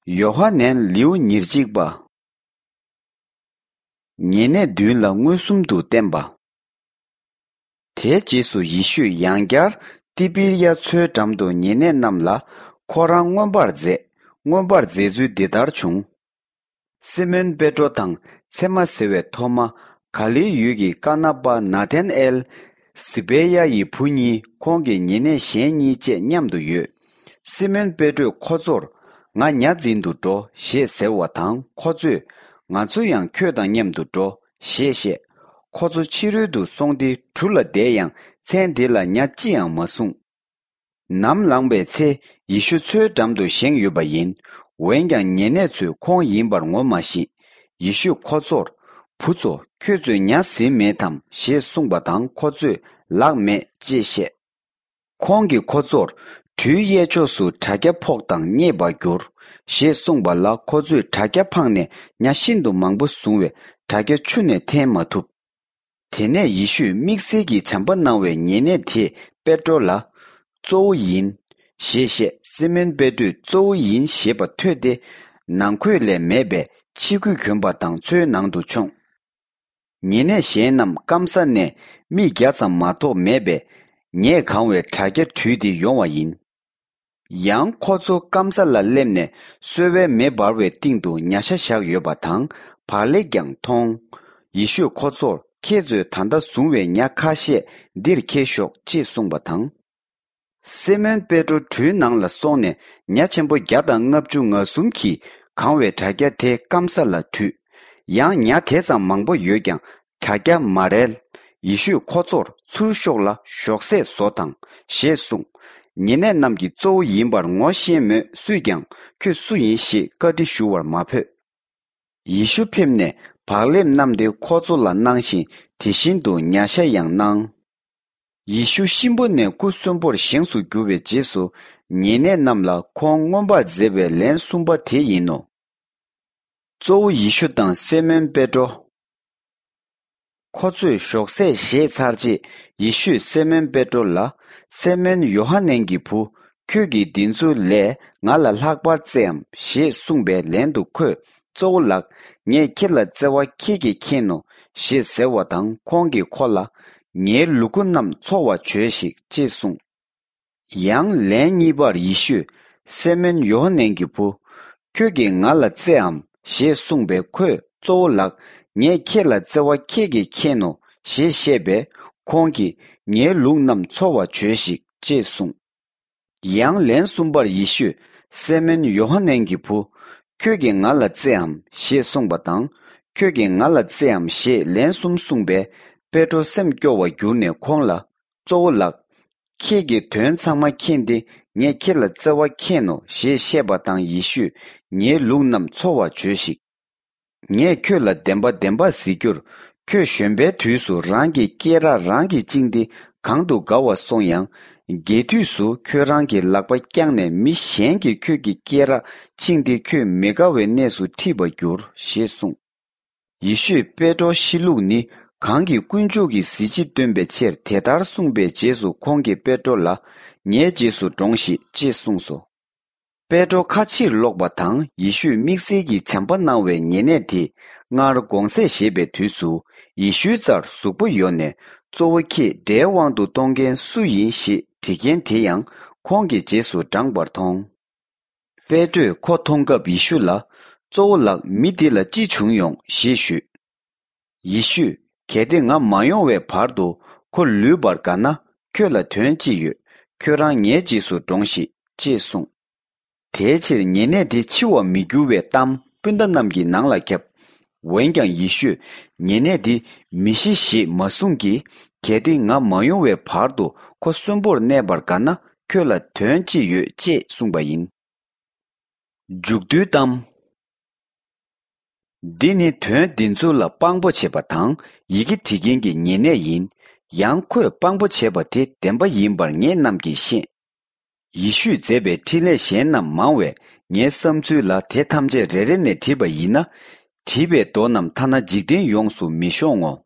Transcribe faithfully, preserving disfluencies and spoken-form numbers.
ཡོ་ཧ་ནན་ལེའུ་ཉེར་གཅིག་པ། ཉེ་གནས་མདུན་ལ་མངོན་སུམ་དུ་བསྟན་པ། དེའི་རྗེས་སུ་ཡེ་ཤུས་ཡང་བསྐྱར་ཏི་པི་རི་ཡ་མཚོའི་འགྲམ་དུ་ཉེ་གནས་རྣམས་ལ་ཁོ་རང་མངོན་པར་མཛད། མངོན་པར་མཛད་ཚུལ་འདི་ལྟར་བྱུང་། སི་མོན་པེ་ཏྲོ་དང་ཚེ་མ་ཟེར་བའི་ཐོ་མ། ག་ལིལ་ཡུལ་གྱི་ཀ་ན་པ་ནཱ་ཐན་ཨེལ། ཟི་བེ་ཡ་ཡི་བུ་གཉིས། ཁོང་གི་ཉེ་གནས་གཞན་གཉིས་བཅས་མཉམ་དུ་ཡོད། སི་མོན་པེ་ཏྲོས་ཁོ་ཚོར། ང་ཉ་འཛིན་དུ་འགྲོ་ཞེས་ཟེར་བ་དང་། ཁོ་ཚོས། ང་ཚོ་ཡང་ཁྱོད་དང་མཉམ་དུ་འགྲོ་ཞེས་བཤད། ཁོ་ཚོ་ཕྱི་རོལ་དུ་སོང་སྟེ་གྲུ་ལ་བསྡད་ཡང་། མཚན་དེ་ལ་ཉ་ཅི་ཡང་མ་བཟུང་། ནམ་ལངས་པའི་ཚེ། ཡེ་ཤུ་མཚོའི་འགྲམ་དུ་བཞེངས་ཡོད་པ་ཡིན། འོན་ཀྱང་ཉེ་གནས་ཚོས་ཁོང་ཡིན་པར་ངོ་མ་ཤེས། ཡེ་ཤུས་ཁོ་ཚོར། བུ་ཚོ། ཁྱོད་ཚོས་ཉ་ཟིན་མེད་དམ་ཞེས་གསུངས་པ་དང་། ཁོ་ཚོས། ལགས་མེད་ཅེས་བཤད། ཁོང་གིས་ཁོ་ཚོར། གྲུའི་གཡས་ཕྱོགས་སུ་དྲ་རྒྱ་ཕོག་དང་རྙེད་པར་འགྱུར། ཞེས་གསུངས་པ་ལ། ཁོ་ཚོས་དྲ་རྒྱ་འཕངས་ནས་ཉ་ཤིན་ཏུ་མང་པོ་བཟུང་བས། དྲ་རྒྱ་ཆུ་ནས་འཐེན་མ་ཐུབ། དེ་ནས་ཡེ་ཤུས་དམིགས་བསལ་གྱི་བྱམས་པ་གནང་བའི་ཉེ་གནས་དེས་པེ་ཏྲོ་ལ། གཙོ་བོ་ཡིན། ཞེས་བཤད། སི་མོན་པེ་ཏྲོས་གཙོ་བོ་ཡིན་ཞེས་པ་ཐོས་ཏེ། ནང་ཁོས་ལས་མེད་པས་ཕྱི་གོས་གྱོན་པ་དང་མཚོའི་ནང་དུ་མཆོངས། ཉེ་གནས་གཞན་རྣམས་སྐམ་ས་ནས་མིག་བརྒྱ་ཙམ་མ་གཏོགས་མེད་པས། ཉས་གང་བའི་དྲ་རྒྱ་དྲུད་དེ་ཡོང་བ་ཡིན། ཡང་ཁོ་ཚོ་སྐམ་ས་ལ་སླེབས་ནས་སོལ་བའི་མེ་འབར་བའི་སྟེང་དུ་ཉ་ཤ་བཞག་ཡོད་པ་དང་། བག་ལེབ་ཀྱང་མཐོང་། ཡེ་ཤུས་ཁོ་ཚོར། ཁྱེད་ཚོས་ད་ལྟ་བཟུང་བའི་ཉ་ཁ་ཤས་འདིར་འཁྱེར་ཤོག་ཅེས་གསུངས་པ་དང་། སི་མོན་པེ་ཏྲོ་གྲུའི་ནང་ལ་སོང་ནས། ཉ་ཆེན་པོ་བརྒྱ་དང་ལྔ་བཅུ་ང་གསུམ་གྱིས་གང་བའི་དྲ་རྒྱ་དེ་སྐམ་ས་ལ་དྲུད། ཡང་ཉ་དེ་ཙམ་མང་པོ་ཡོད་ཀྱང་། དྲ་རྒྱ་མ་རལ། ཡེ་ཤུས་ཁོ་ཚོར། ཚུར་ཤོག་ལ་ཞོགས་ཟས་བཟོ་དང་། ཞེས་གསུངས། ཉེ་གནས་རྣམས་ཀྱིས་གཙོ་བོ་ཡིན་པར་ངོ་ཤེས་མོད། སུས་ཀྱང་ཁྱོད་སུ་ཡིན་ཞེས་བཀའ་འདྲི་ཞུ་བར་མ་ཕོད། ཡེ་ཤུ་ཕེབས་ནས་བག་ལེབ་བསྣམས་ཏེ་ཁོ་ཚོ་ལ་གནང་ཞིང་། དེ་བཞིན་དུ་ཉ་ཤ་ཡང་གནང་། ཡེ་ཤུ་གཤིན་པོ་ནས་སྐུ་གསོན་པོར་བཞེངས་སུ་གྱུར་པའི་རྗེས་སུ། ཉེ་གནས་རྣམས་ལ་ཁོང་མངོན་པར་མཛད་པའི་ལན་གསུམ་པ་དེ་ཡིན་ནོ། གཙོ་བོ་ཡེ་ཤུ་དང་སི་མོན་པེ་ཏྲོ། ཁོ་ཚོས་ཞོགས་ཟས་བཞེས་ཚར་རྗེས། ཡེ་ཤུས་སི་མོན་པེ་ཏྲོ་ལ། སི་མོན་ཡོ་ཧ་ནན་གྱི་བུ། ཁྱོད་ཀྱིས་འདི་ཚོའི་ལས་ང་ལ་ལྷག་པར་བརྩེའམ། ཞེས་གསུངས་པའི་ལན་དུ་ཁོས། གཙོ་བོ་ལགས། ངས་ཁྱེད་ལ་བརྩེ་བ་ཁྱེད་ཀྱིས་མཁྱེན་ནོ། ཞེས་ཟེར་བ་དང་། ཁོང་གིས་ཁོ་ལ། ངའི་ལུ་གུ་རྣམས་འཚོ་བར་བྱོས་ཤིག་ཅེས་གསུངས། ཡང་ལན་གཉིས་པར་ཡེ་ཤུས། སི་མོན་ཡོ་ཧ་ནན་གྱི་བུ། ཁྱོད་ཀྱིས་ང་ལ་བརྩེའམ། ཞེས་གསུངས་པས། ཁོས། གཙོ་བོ་ལགས། ངས་ཁྱེད་ལ་བརྩེ་བ་ཁྱེད་ཀྱིས་མཁྱེན་ནོ། ཞེས་བཤད་པས། ཁོང་གིས། ངའི་ལུག་རྣམས་འཚོ་བར་བྱོས་ཤིག་ཅེས་གསུངས། ཡང་ལན་གསུམ་པར་ཡེ་ཤུས། སི་མོན་ཡོ་ཧ་ནན་གྱི་བུ། ཁྱོད་ཀྱིས་ང་ལ་བརྩེའམ། ཞེས་གསུངས་པ་དང་། ཁྱོད་ཀྱིས་ང་ལ་བརྩེའམ། ཞེས་ལན་གསུམ་གསུངས་པས། པེ་ཏྲོ་སེམས་སྐྱོ་བར་གྱུར་ནས་ཁོང་ལ། གཙོ་བོ་ལགས། ཁྱེད་ཀྱིས་དོན་ཚང་མ་མཁྱེན་ཏེ། ངས་ཁྱེད་ལ་བརྩེ་བ་མཁྱེན་ནོ། ཞེས་བཤད་པ་དང་། ཡེ་ཤུས། ངའི་ལུག་རྣམས་འཚོ་བར་བྱོས་ཤིག་ངས་ཁྱོད་ལ་བདེན་པ་བདེན་པ་ཟེར་རྒྱུར། ཁྱོད་གཞོན་པའི་དུས་སུ་རང་གི་སྐེ་རགས་རང་གིས་བཅིངས་ཏེ་གང་དུ་དགའ་བར་སོང་ཡང་། རྒས་དུས་སུ་ཁྱོད་རང་གི་ལག་པ་བརྐྱངས་ནས་མི་གཞན་གྱིས་ཁྱོད་ཀྱི་སྐེ་རགས་ཕྱིས་ཏེ་ཁྱོད་མི་དགའ་བའི་གནས་སུ་ཁྲིད་པར་འགྱུར། ཞེས་གསུངས། ཡེ་ཤུས་པེ་ཏྲོ་ཤི་ལུགས་ནི་གང་གིས་དཀོན་མཆོག་གི་གཟི་བརྗིད་སྟོན་པའི་ཕྱིར་དེ་ལྟར་གསུངས་པའི་རྗེས་སུ། ཁོང་གིས་པེ་ཏྲོ་ལ། ངའི་རྗེས་སུ་འབྲོངས་ཤིག་ཅེས་གསུངས་སོ། པེ་ཏྲོ་ཁ་ཕྱིར་ལོག་པ་དང་། ཡེ་ཤུས་དམིགས་བསལ་གྱི་བྱམས་པ་གནང་བའི་ཉེ་གནས་དེ་སྔར་དགོང་ཟས་བཞེས་པའི་དུས་སུ། ཡེ་ཤུའི་རྩར་གཟུགས་པོ་ཡོང་ནས། གཙོ་བོ་ཁྱེད་དགྲའི་དབང་དུ་གཏོང་མཁན་སུ་ཡིན། ཞེས་དྲི་མཁན་དེ་ཡང་ཁོང་གི་རྗེས་སུ་འབྲངས་པར་མཐོང་། པེ་ཏྲོས་ཁོ་མཐོང་སྐབས་ཡེ་ཤུ་ལ། གཙོ་བོ་ལགས། མི་འདི་ལ་ཅི་བྱུང་ཡོང་། ཞེས་ཞུས། ཡེ་ཤུས། གལ་ཏེ་ང་མ་ཡོང་བའི་བར་དུ་ཁོ་ལུས་པར་དགའ་ན། ཁྱོད་ལ་དོན་ཅི་ཡོད། ཁྱོད་རང་ངའི་རྗེས་སུ་འབྲོངས་ཤིག་ཅེས་གསུངས། དེའི་ཕྱིར་ཉེ་གནས་དེ་འཆི་བར་མི་འགྱུར་བའི་གཏམ་སྤུན་ཟླ་རྣམས་ཀྱི་ནང་ལ་ཁྱབ། འོན་ཀྱང་ཡེ་ཤུས། ཉེ་གནས་འདི་མི་ཤི་ཞེས་མ་གསུངས་ཀྱི། གལ་ཏེ་ང་མ་ཡོང་བའི་བར་དུ་ཁོ་གསོན་པོར་གནས་པར་དགའ་ན། ཁྱོད་ལ་དོན་ཅི་ཡོད། ཅེས་གསུངས་པ་ཡིན། མཇུག་བསྡུའི་གཏམ། འདི་ནི་དོན་འདི་ཚོ་ལ་དཔང་པོ་བྱེད་པ་དང་། ཡི་གེ་འབྲི་མཁན་གྱི་ཉེ་གནས་ཡིན། ཡང་ཁོས་དཔང་པོ་བྱས་པ་དེ་བདེན་པ་ཡིན་པར་ངེད་རྣམས་ཀྱིས་ཤེས། ཡེ་ཤུས་མཛད་པའི་འཕྲིན་ལས་གཞན་རྣམས་མང་བས། ངའི་བསམ་ཚུལ་ལ་དེ་ཐམས་ཅད་རེ་རེ་ནས་བྲིས་པ་ཡིན་ན། བྲིས་པའི་མདོ་རྣམས་ཐ་ན་འཇིག་རྟེན་ཡོངས་སུ་མི་ཤོང་ངོ་